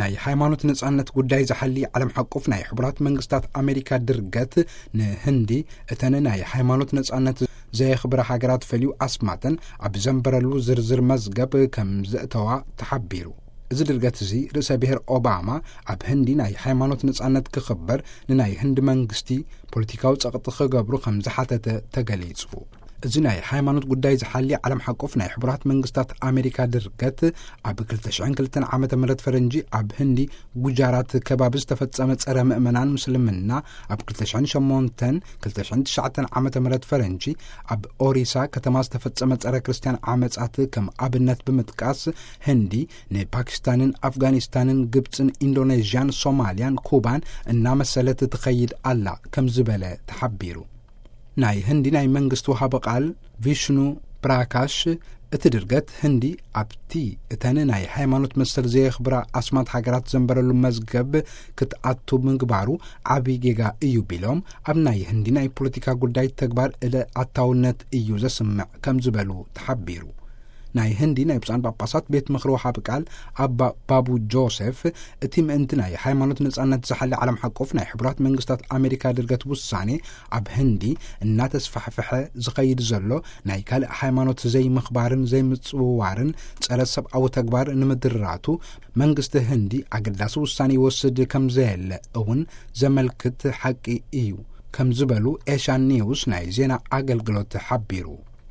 ናይ ሃይማኖት ነጻነት ጉዳይ ዝሓሊ ዓለም ሓቁፍ ናይ ሕቡራት መንግስታት ኣሜሪካ ድርገት፣ ንህንዲ እተን ናይ ሃይማኖት ነጻነት ዘየኽብራ ሃገራት ፈልዩ ኣስማተን ኣብ ዘንበረሉ ዝርዝር መዝገብ ከም ዘእተዋ ተሓቢሩ። እዚ ድርገት እዚ፣ ርእሰ ብሔር ኦባማ ኣብ ህንዲ ናይ ሃይማኖት ነጻነት ክኽበር ንናይ ህንዲ መንግስቲ ፖለቲካዊ ጸቕጢ ክገብሩ ከም ዝሓተተ ተገሊጹ። እዚ ናይ ሃይማኖት ጉዳይ ዝሓሊ ዓለም ሓቆፍ ናይ ሕቡራት መንግስታት ኣሜሪካ ድርገት፣ ኣብ ክልተ ሽሕን ክልተን ዓመተ ምህረት ፈረንጂ ኣብ ህንዲ ጉጃራት ከባቢ ዝተፈጸመ ጸረ ምእመናን ምስልምና፣ ኣብ ክልተ ሽሕን ሸሞንተን ክልተ ሽሕን ትሽዓተን ዓመተ ምህረት ፈረንጂ ኣብ ኦሪሳ ከተማ ዝተፈጸመ ጸረ ክርስትያን ዓመጻት ከም ኣብነት ብምጥቃስ፣ ህንዲ ንፓኪስታንን ኣፍጋኒስታንን ግብጽን ኢንዶኔዥያን ሶማልያን ኩባን እናመሰለት ትኸይድ ኣላ ከም ዝበለ ተሓቢሩ። ናይ ህንዲ ናይ መንግስቲ ወሃቢ ቃል ቪሽኑ ፕራካሽ፣ እቲ ድርገት ህንዲ ኣብቲ እተን ናይ ሃይማኖት መሰል ዘየኽብራ ኣስማት ሃገራት ዘንበረሉ መዝገብ ክትኣቱ ምግባሩ ዓቢ ጌጋ እዩ ቢሎም፣ ኣብ ናይ ህንዲ ናይ ፖለቲካ ጉዳይ ተግባር እለ ኣታውነት እዩ ዘስምዕ ከም ዝበሉ ተሓቢሩ። ናይ ህንዲ ናይ ብፁዓን ጳጳሳት ቤት ምኽሪ ወሃቢ ቃል ኣባ ባቡ ጆሴፍ፣ እቲ ምእንቲ ናይ ሃይማኖት ነጻነት ዝሓሊ ዓለም ሓቆፍ ናይ ሕቡራት መንግስታት ኣሜሪካ ድርገት ውሳኔ፣ ኣብ ህንዲ እናተስፋሕፈሐ ዝኸይድ ዘሎ ናይ ካልእ ሃይማኖት ዘይምኽባርን ዘይምጽውዋርን ጸረ ሰብኣዊ ተግባር ንምድራቱ፣ መንግስቲ ህንዲ ኣገዳሲ ውሳኔ ይወስድ ከም ዘየለ እውን ዘመልክት ሓቂ እዩ ከም ዝበሉ ኤሻን ኒውስ ናይ ዜና ኣገልግሎት ሓቢሩ።